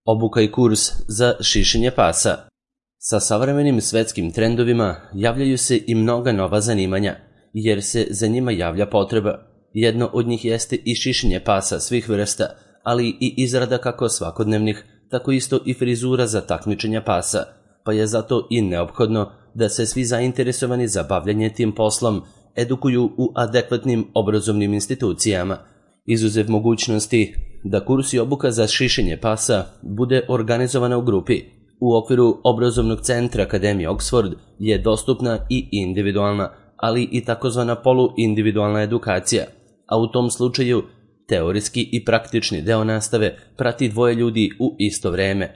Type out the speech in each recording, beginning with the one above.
Obuka i kurs za šišanje pasa. Sa savremenim svetskim trendovima javljaju se i mnoga nova zanimanja, jer se za njima javlja potreba. Jedno od njih jeste i šišanje pasa svih vrsta, ali i izrada kako svakodnevnih, tako isto i frizura za takmičenja pasa, pa je zato i neophodno da se svi zainteresovani za bavljanje tim poslom edukuju u adekvatnim obrazovnim institucijama, izuzev mogućnosti da kurs i obuka za šišanje pasa bude organizovana u grupi. U okviru obrazovnog centra Akademije Oxford je dostupna i individualna, ali i takozvana poluindividualna edukacija, a u tom slučaju teorijski i praktični deo nastave prati dvoje ljudi u isto vreme.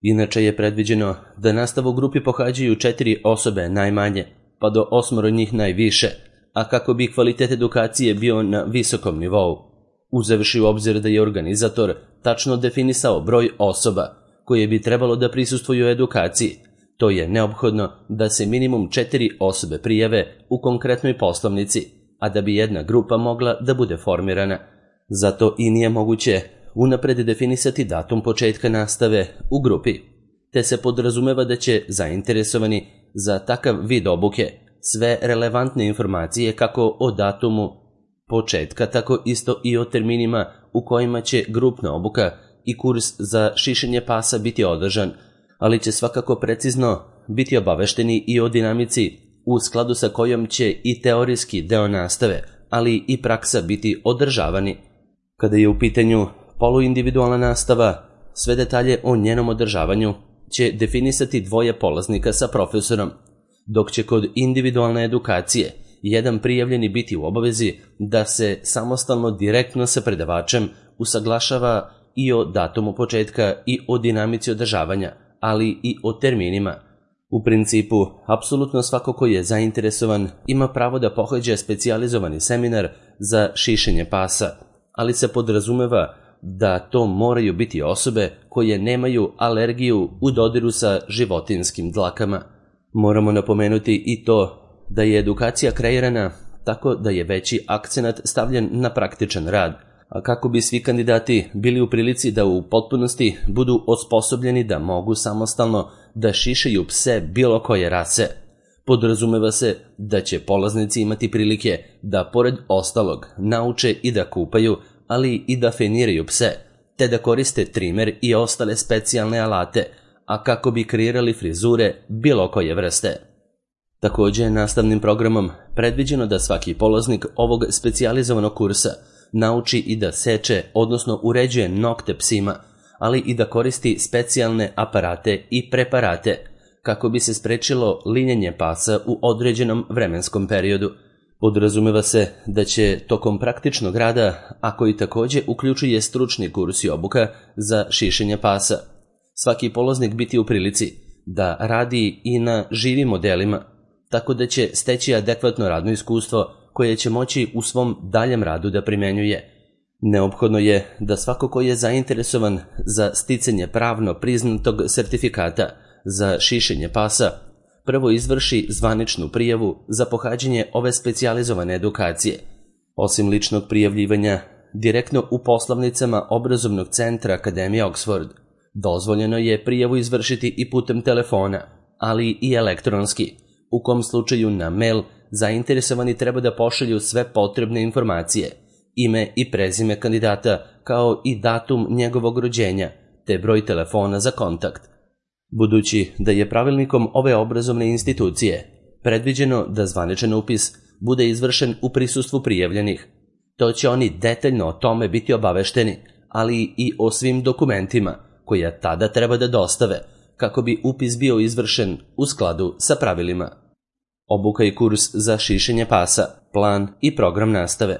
Inače je predviđeno da nastavu u grupi pohađaju 4 osobe najmanje, pa do 8 njih najviše, a kako bi kvalitet edukacije bio na visokom nivou. Uzevši u obzir da je organizator tačno definisao broj osoba koje bi trebalo da prisustvuju edukaciji, to je neophodno da se minimum 4 osobe prijave u konkretnoj poslovnici, a da bi jedna grupa mogla da bude formirana. Zato i nije moguće unapred definisati datum početka nastave u grupi, te se podrazumeva da će zainteresovani za takav vid obuke sve relevantne informacije kako o datumu početka, tako isto i o terminima u kojima će grupna obuka i kurs za šišanje pasa biti održan, ali će svakako precizno biti obavešteni i o dinamici u skladu sa kojom će i teorijski deo nastave, ali i praksa biti održavani. Kada je u pitanju poluindividualna nastava, sve detalje o njenom održavanju će definisati dvoje polaznika sa profesorom, dok će kod individualne edukacije jedan prijavljeni biti u obavezi da se samostalno direktno sa predavačem usaglašava i o datumu početka i o dinamici održavanja, ali i o terminima. U principu, apsolutno svako ko je zainteresovan ima pravo da pohađa specijalizovani seminar za šišanje pasa, ali se podrazumeva da to moraju biti osobe koje nemaju alergiju u dodiru sa životinjskim dlakama. Moramo napomenuti i to da je edukacija kreirana tako da je veći akcenat stavljen na praktičan rad, a kako bi svi kandidati bili u prilici da u potpunosti budu osposobljeni da mogu samostalno da šišaju pse bilo koje rase. Podrazumeva se da će polaznici imati prilike da pored ostalog nauče i da kupaju, ali i da feniraju pse, te da koriste trimer i ostale specijalne alate, a kako bi kreirali frizure bilo koje vrste. Također je nastavnim programom predviđeno da svaki polaznik ovog specijalizovanog kursa nauči i da seče, odnosno uređuje nokte psima, ali i da koristi specijalne aparate i preparate, kako bi se sprečilo linjenje pasa u određenom vremenskom periodu. Podrazumeva se da će tokom praktičnog rada, a koji također uključuje stručni kurs i obuka za šišanje pasa, svaki polaznik biti u prilici da radi i na živim modelima, tako da će steći adekvatno radno iskustvo koje će moći u svom daljem radu da primenjuje. Neophodno je da svako ko je zainteresovan za sticanje pravno priznatog sertifikata za šišanje pasa prvo izvrši zvaničnu prijavu za pohađanje ove specijalizovane edukacije. Osim ličnog prijavljivanja direktno u poslovnicama obrazovnog centra Akademije Oxford, dozvoljeno je prijavu izvršiti i putem telefona, ali i elektronski, u kom slučaju na mail zainteresovani treba da pošalju sve potrebne informacije, ime i prezime kandidata, kao i datum njegovog rođenja, te broj telefona za kontakt. Budući da je pravilnikom ove obrazovne institucije predviđeno da zvaničan upis bude izvršen u prisustvu prijavljenih, to će oni detaljno o tome biti obavešteni, ali i o svim dokumentima koje tada treba da dostave, kako bi upis bio izvršen u skladu sa pravilima. Obuka i kurs za šišanje pasa, plan i program nastave.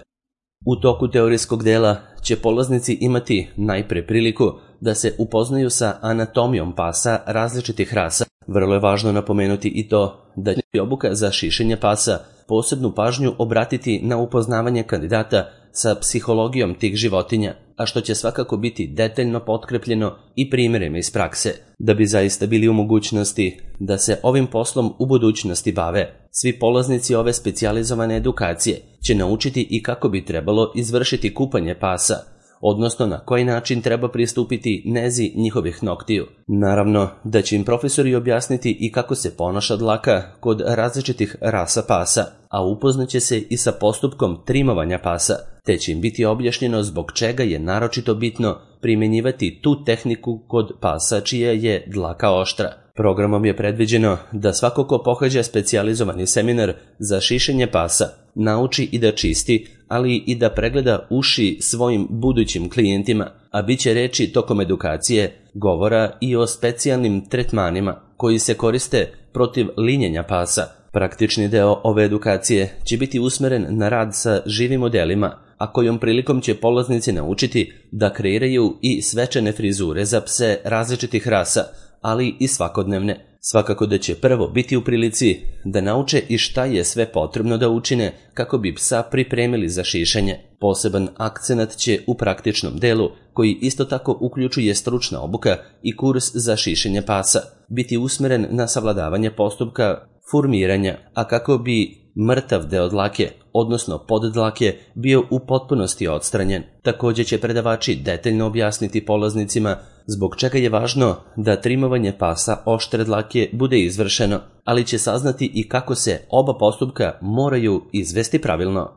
U toku teorijskog dela će polaznici imati najpre priliku da se upoznaju sa anatomijom pasa različitih rasa. Vrlo je važno napomenuti i to da će obuka za šišanje pasa posebnu pažnju obratiti na upoznavanje kandidata sa psihologijom tih životinja, a što će svakako biti detaljno potkrepljeno i primjerima iz prakse, da bi zaista bili u mogućnosti da se ovim poslom u budućnosti bave. Svi polaznici ove specijalizovane edukacije će naučiti i kako bi trebalo izvršiti kupanje pasa, odnosno na koji način treba pristupiti nezi njihovih noktiju. Naravno da će im profesori objasniti i kako se ponaša dlaka kod različitih rasa pasa, a upoznaće se i sa postupkom trimovanja pasa, te će im biti objašnjeno zbog čega je naročito bitno primjenjivati tu tehniku kod pasa čija je dlaka oštra. Programom je predviđeno da svako ko pohađa specijalizovani seminar za šišenje pasa nauči i da čisti, ali i da pregleda uši svojim budućim klijentima, a bit će reči tokom edukacije, govora i o specijalnim tretmanima koji se koriste protiv linjenja pasa. Praktični deo ove edukacije će biti usmeren na rad sa živim modelima, a kojom prilikom će polaznici naučiti da kreiraju i svečane frizure za pse različitih rasa, ali i svakodnevne. Svakako da će prvo biti u prilici da nauče i šta je sve potrebno da učine kako bi psa pripremili za šišanje. Poseban akcenat će u praktičnom delu, koji isto tako uključuje stručna obuka i kurs za šišenje pasa, biti usmeren na savladavanje postupka formiranja, a kako bi mrtav deo dlake, odnosno poddlake, bio u potpunosti odstranjen. Također će predavači detaljno objasniti polaznicima zbog čega je važno da trimovanje pasa oštre dlake bude izvršeno, ali će saznati i kako se oba postupka moraju izvesti pravilno.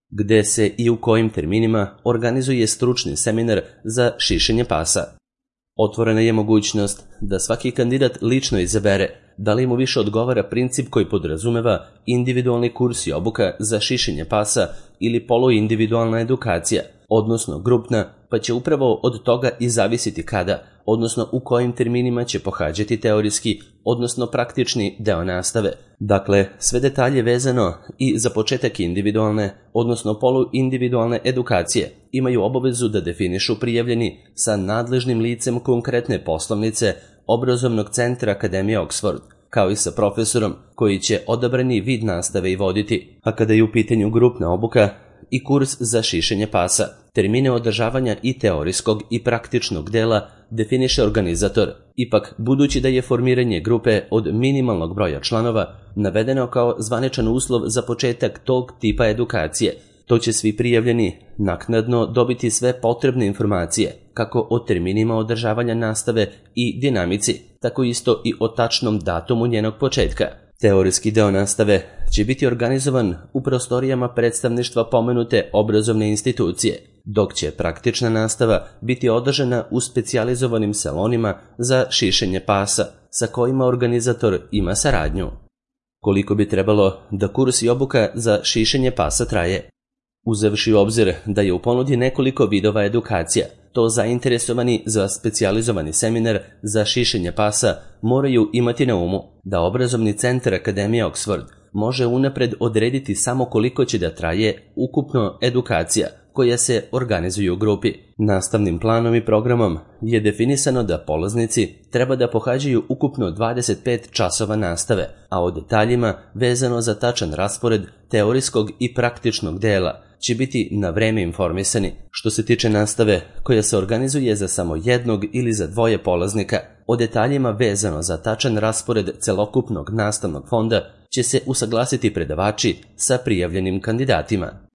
Gde se i u kojim terminima organizuje stručni seminar za šišenje pasa. Otvorena je mogućnost da svaki kandidat lično izabere da li mu više odgovara princip koji podrazumeva individualni kurs i obuka za šišenje pasa ili poluindividualna edukacija, odnosno grupna, pa će upravo od toga i zavisiti kada, odnosno u kojim terminima će pohađati teorijski, odnosno praktični deo nastave. Dakle, sve detalje vezano i za početak individualne, odnosno poluindividualne edukacije imaju obavezu da definišu prijavljeni sa nadležnim licem konkretne poslovnice Obrazovnog centra Akademije Oxford, kao i sa profesorom koji će odabrani vid nastave i voditi. A kada je u pitanju grupna obuka i kurs za šišenje pasa, termine održavanja i teorijskog i praktičnog dela definiše organizator. Ipak, budući da je formiranje grupe od minimalnog broja članova navedeno kao zvaničan uslov za početak tog tipa edukacije, to će svi prijavljeni naknadno dobiti sve potrebne informacije, kako o terminima održavanja nastave i dinamici, tako isto i o tačnom datumu njenog početka. Teorijski deo nastave će biti organizovan u prostorijama predstavništva pomenute obrazovne institucije, dok će praktična nastava biti održana u specijalizovanim salonima za šišenje pasa, sa kojima organizator ima saradnju. Koliko bi trebalo da kurs i obuka za šišenje pasa traje? Uzevši u obzir da je u ponudi nekoliko vidova edukacija, to zainteresovani za specijalizovani seminar za šišenje pasa moraju imati na umu da Obrazovni centar Akademije Oxford može unapred odrediti samo koliko će da traje ukupno edukacija koja se organizuje u grupi. Nastavnim planom i programom je definisano da polaznici treba da pohađaju ukupno 25 časova nastave, a o detaljima vezano za tačan raspored teorijskog i praktičnog dela će biti na vreme informisani. Što se tiče nastave koja se organizuje za samo jednog ili za dvoje polaznika, o detaljima vezano za tačan raspored celokupnog nastavnog fonda će se usaglasiti predavači sa prijavljenim kandidatima.